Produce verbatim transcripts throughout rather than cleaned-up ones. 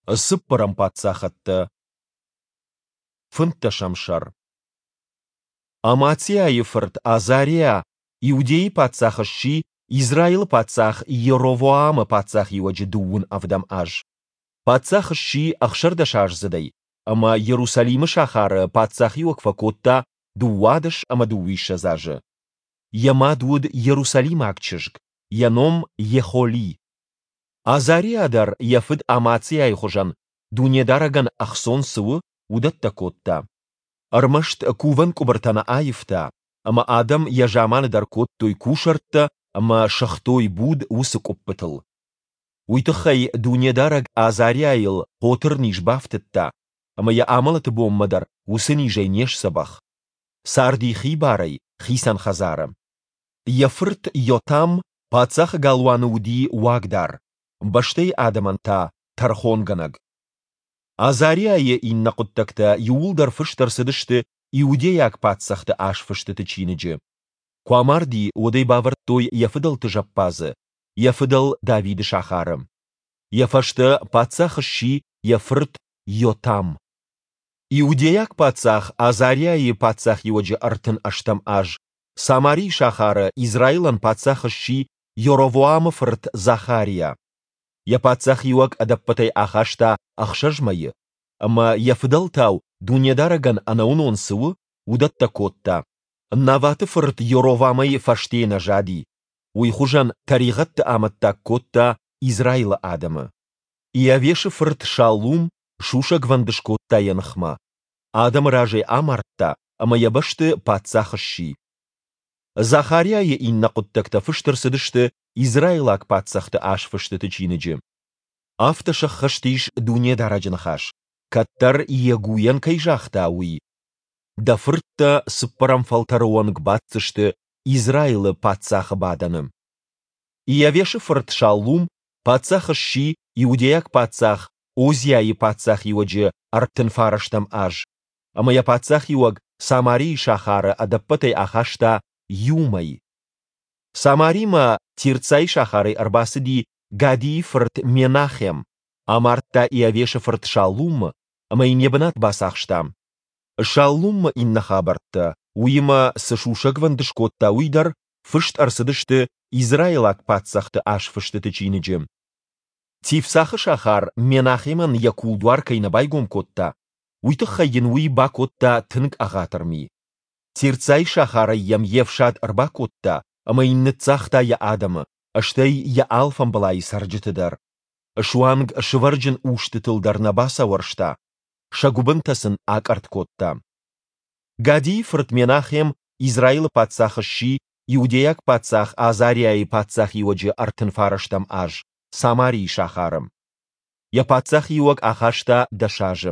Цыппӕрӕм паддзахӕдтӕ. Фынддӕсӕм сӕр. Амациайы фырт Азариа Иудӕйы паддзах сси Израилы паддзах Йеровоамы паддзахиуӕджы дыууын ӕвдӕм аз. Паддзах сси ӕхсӕрдӕсаздзыдӕй ӕмӕ Иерусалимы сахары паддзахиуӕг фӕкодта дыууадӕс ӕмӕ дыууиссӕдз азы. Йӕ мад уыд иерусалимаг чызг, йӕ ном Йехоли. Азариа дӕр йӕ фыд Амациайы хуызӕн, Дунедарӕгӕн ӕхцон цы у, уыдӕттӕ кодта. Ӕрмӕст кувӕн къуыбыртӕ нӕ аивта, ӕмӕ адӕм йӕ заманы дӕр кодтой кусӕрттӕ ӕмӕ сыгътой буд уыцы къуыппытыл. Уый тыххӕй Дунедарӕг Азариайыл хъотырниз бафтыдта, ӕмӕ йӕ амӕлӕты бонмӕ дӕр уыцы низӕй не сдзӕбӕх. Царди хибарӕй, хицӕн хӕдзары. Йӕ фырт Йотам паддзахы галуаны уыди уагдар, бӕстӕйы адӕмӕн та тӕрхонгӕнӕг. Азариайы иннӕ хъуыддӕгтӕ иууылдӕр фыст ӕрцыдысты Иудейаг паддзӕхты азфыстыты чиныджы. Куы амарди, уӕд ӕй бавӕрдтой йӕ фыдӕлты зӕппадзы, йӕ фыдӕл Давиды сахары. Йӕ фӕстӕ паддзах сси йӕ фырт Йотам. Иудейаг паддзах Азариайы паддзахиуӕджы ӕртын ӕстӕм аз Самарийы сахары Израилӕн паддзах сси Йоровоамы фырт Захариа. Йӕ паддзахиуӕг ӕдӕппӕтӕй ахаста ӕхсӕз мӕйы, ӕмӕ йӕ фыдӕлтау Дунедарӕгӕн ӕнӕуынон цы у, уыдӕттӕ кодта. Наваты фырт Йоровамӕй фӕсте нӕ зади. Уый хуызӕн тӕригъӕдты амӕттаг кодта Израилы адӕмы. Иавешы фырт Шаллум сусӕгвӕнд скодта йӕ ныхмӕ. Адӕмы разӕй амардта ӕмӕ йӕ бӕсты паддзах сси. Захариайы иннӕ хъуыддӕгтӕ фыст ӕрцыдысты Израилаг паддзӕхты азфыстыты чиныджы. Афтӕ сӕххӕст ис Дунедарӕджы ныхас, кӕддӕр Йегуйӕн кӕй загъта, уый: Дӕ фырттӕ цыппӕрӕм фӕлтӕры онг баддзысты Израилы паддзахы бадӕны. Иавешы фырт Шаллум паддзах сси иудейаг паддзах Озиайы паддзахиуӕджы ӕртын фарӕстӕм аз, ӕмӕ йӕ паддзахиуӕг Самарийы сахары ӕдӕппӕтӕй ахаста иу мӕй. Самаримӕ Тирцайы сахарӕй ӕрбацыди Гадийы фырт Менахем, амардта Иавешы фырт Шаллумы ӕмӕ йын йӕ бынат бацахста. Шаллумы иннӕ хабӕрттӕ, уыимӕ цы сусӕгвӕнд скодта, уый дӕр, фыст ӕрцыдысты Израилаг паддзӕхты азфыстыты чиныджы. Тифсахы сахар Менахемӕн йӕ кулдуар кӕй нӕ байгом кодта, уый тыххӕй йын уый бакодта тынг ӕгъатыр ми. Тирцайы сахарӕй йӕм йе фсад ӕрбакодта ӕмӕ йын ныццагъта йӕ адӕмы, стӕй йӕ алфамбылайы цӕрджыты дӕр. Суанг сывӕрджын устытыл дӕр нӕ бацауӕрста, сӕ гуыбынтӕ сын акъӕртт кодта. Гадийы фырт Менахем Израилы паддзах сси иудейаг паддзах Азариайы паддзахиуӕджы ӕртын фарӕстӕм аз Самарийы сахары. Йӕ паддзахиуӕг ахаста дӕс азы.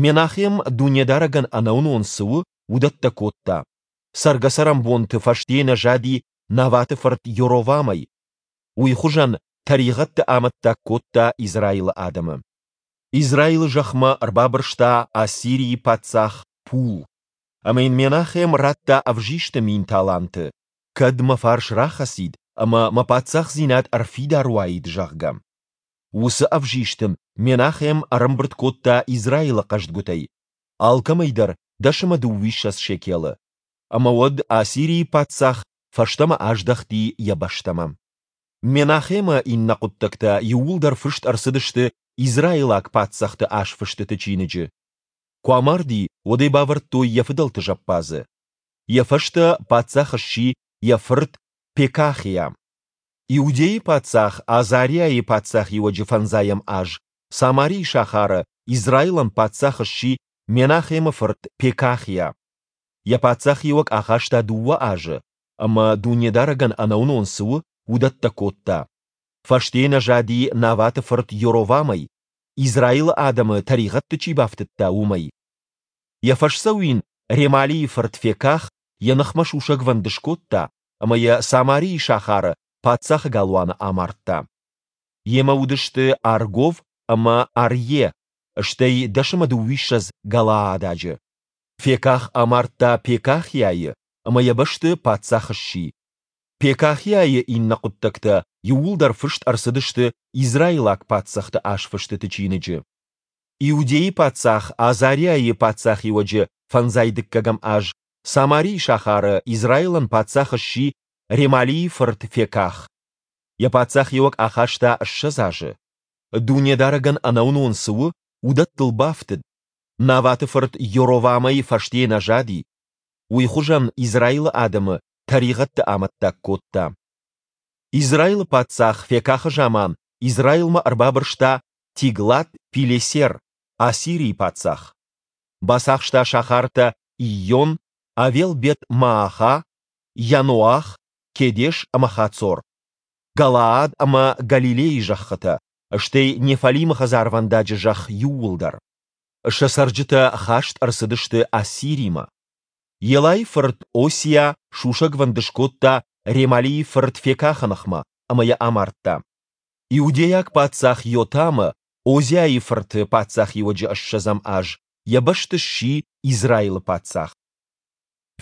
Менахем Дунедарӕгӕн ӕнӕуынон цы у, уыдӕттӕ кодта. Цӕргӕ-цӕрӕнбонты фӕсте нӕ зади Наваты фырт Йоровамӕй. Уый хуызӕн тӕригъӕдты амӕттаг кодта Израилы адӕмы. Израилы зӕхмӕ ӕрбабырста Ассирийы паддзах Пул. Ӕмӕ йын Менахем радта ӕвзисты мин таланты, кӕд мӕ фарс рахӕцид ӕмӕ мӕ паддзахдзинад ӕрфидар уаид, зӕгъгӕ. Уыцы ӕвзист ын Менахем ӕрӕмбырд кодта Израилы хъӕздгуытӕй, алкӕмӕй дӕр дӕс ӕмӕ дыууиссӕдз шекелы. Ӕмӕ уӕд Ассирийы паддзах фӕстӕмӕ аздӕхти йӕ бӕстӕмӕ. Менахемы иннӕ хъуыддӕгтӕ иууылдӕр фыст ӕрцыдысты Израилаг паддзӕхты азфыстыты чиныджы. Куы амарди, уӕд ӕй бавӕрдтой йӕ фыдӕлты зӕппадзы. Йӕ фӕстӕ паддзах сси йӕ фырт Пекахиа. Иудӕйы паддзах Азариайы паддзахиуӕджы фӕндзайӕм аз Самарийы сахары Израилӕн паддзах сси Менахемы фырт Пекахиа. Йӕ паддзахиуӕг ахаста дыууӕ азы, ӕмӕ Дунедарӕгӕн ӕнӕуынон цы у, уыдӕттӕ кодта. Фӕсте нӕ зади Наваты фырт Йоровамӕй, Израилы адӕмы тӕригъӕдты чи бафтыдта, уымӕй. Йӕ фӕсдзӕуин Ремалийы фырт Феках йӕ ныхмӕ сусӕгвӕнд скодта ӕмӕ йӕ Самарийы сахары паддзахы галуаны амардта. Йемӕ уыдысты Аргов ӕмӕ Арйе, стӕй дӕс ӕмӕ дыууиссӕдз галаададжы. Феках амардта Пекахиайы ӕмӕ йӕ бӕсты паддзах сси. Пекахиайы иннӕ хъуыддӕгтӕ, иууылдӕр фыст ӕрцыдысты израилаг паддзӕхты азфыстыты чиныджы. Иудейы паддзах Азариайы паддзахиуӕджы фӕндзай дыккӕгӕм аз Самарийы сахары Израилӕн паддзах сси Ремалийы фырт Феках. Йӕ паддзахиуӕг ахаста ссӕдз азы. Дунедарӕгӕн ӕнӕуынон цы у, уыдӕттыл бафтыд, Наваты фырт Йоровамӕй фӕсте нӕ зади. Уый хуызӕн Израилы адӕмы тӕригъӕдты амӕттаг кодта. Израилы паддзах Фекахы заман Израилмӕ ӕрбабырста Тиглат-Пилесер, Ассирийы паддзах. Бацахста сахартӕ Ийон, Авел-Бет-Мааха, Йаноах, Кедеш ӕмӕ Хацор, Галаад ӕмӕ Галилейы зӕххытӕ, стӕй Неффалимы хӕдзарвӕндаджы зӕхх иууылдӕр. Сӕ цӕрджытӕ хаст ӕрцыдысты Ассиримӕ. Елайы фырт Осиа сусӕгвӕнд скодта Ремалийы фырт Фекахы ныхмӕ ӕмӕ йӕ амардта. Иудейаг паддзах Йотамы, Озиайы фырты, паддзахиуӕджы ссӕдзӕм аз йӕ бӕсты сси Израилы паддзах.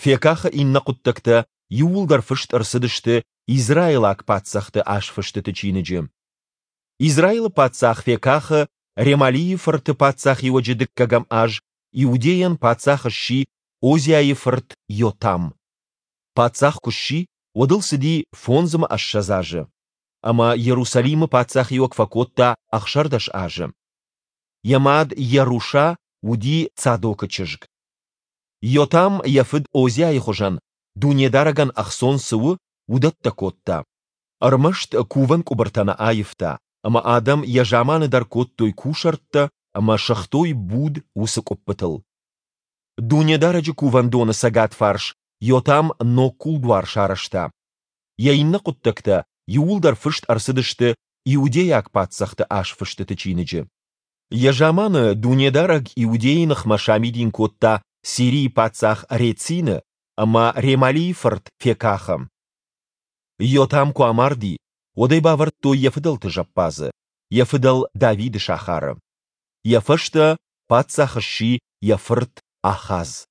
Фекахы иннӕ хъуыддӕгтӕ иууылдӕр фыст ӕрцыдысты израилаг паддзӕхты азфыстыты чиныджы. Израилы паддзах Фекахы, Ремалийы фырты паддзахиуӕджы дыккӕгӕм аз Иудейӕн паддзах сси Озиайы фырт Йотам. Паддзах куы сси, уӕд ыл цыди фондз ӕмӕ ссӕдз азы. Ӕмӕ Иерусалимы паддзахиуӕг фӕкодта ӕхсӕрдӕс азы. Йӕ мад Йеруша уыди Цадокы чызг. Йотам йӕ фыд Озиайы хуызӕн, Дунедарӕгӕн ӕхцон цы у, уыдӕттӕ кодта. Ӕрмӕст кувӕн къуыбыртӕ нӕ аивта, ӕмӕ адӕм йӕ заманы дӕр кодтой кусӕрттӕ ӕмӕ сыгътой буд уыцы къуыппытыл. Дунедарӕджы кувӕндоны цӕгат фарс Йотам ног кулдуар сарӕзта. Йӕ иннӕ хъуыддӕгтӕ иууылдӕр фыст ӕрцыдысты Иудейаг паддзӕхты азфыстыты чиныджы. Йӕ заманы Дунедарӕг Иудейы ныхмӕ самидин кодта Сирийы паддзах Рецины ӕмӕ Ремалийы фырт Фекахы. Йотам куы амарди, уӕд ӕй бавӕрдтой йӕ фыдӕлты зӕппадзы, йӕ фыдӕл Давиды сахары. Йӕ фӕстӕ паддзах сси йӕ фырт Ахаз.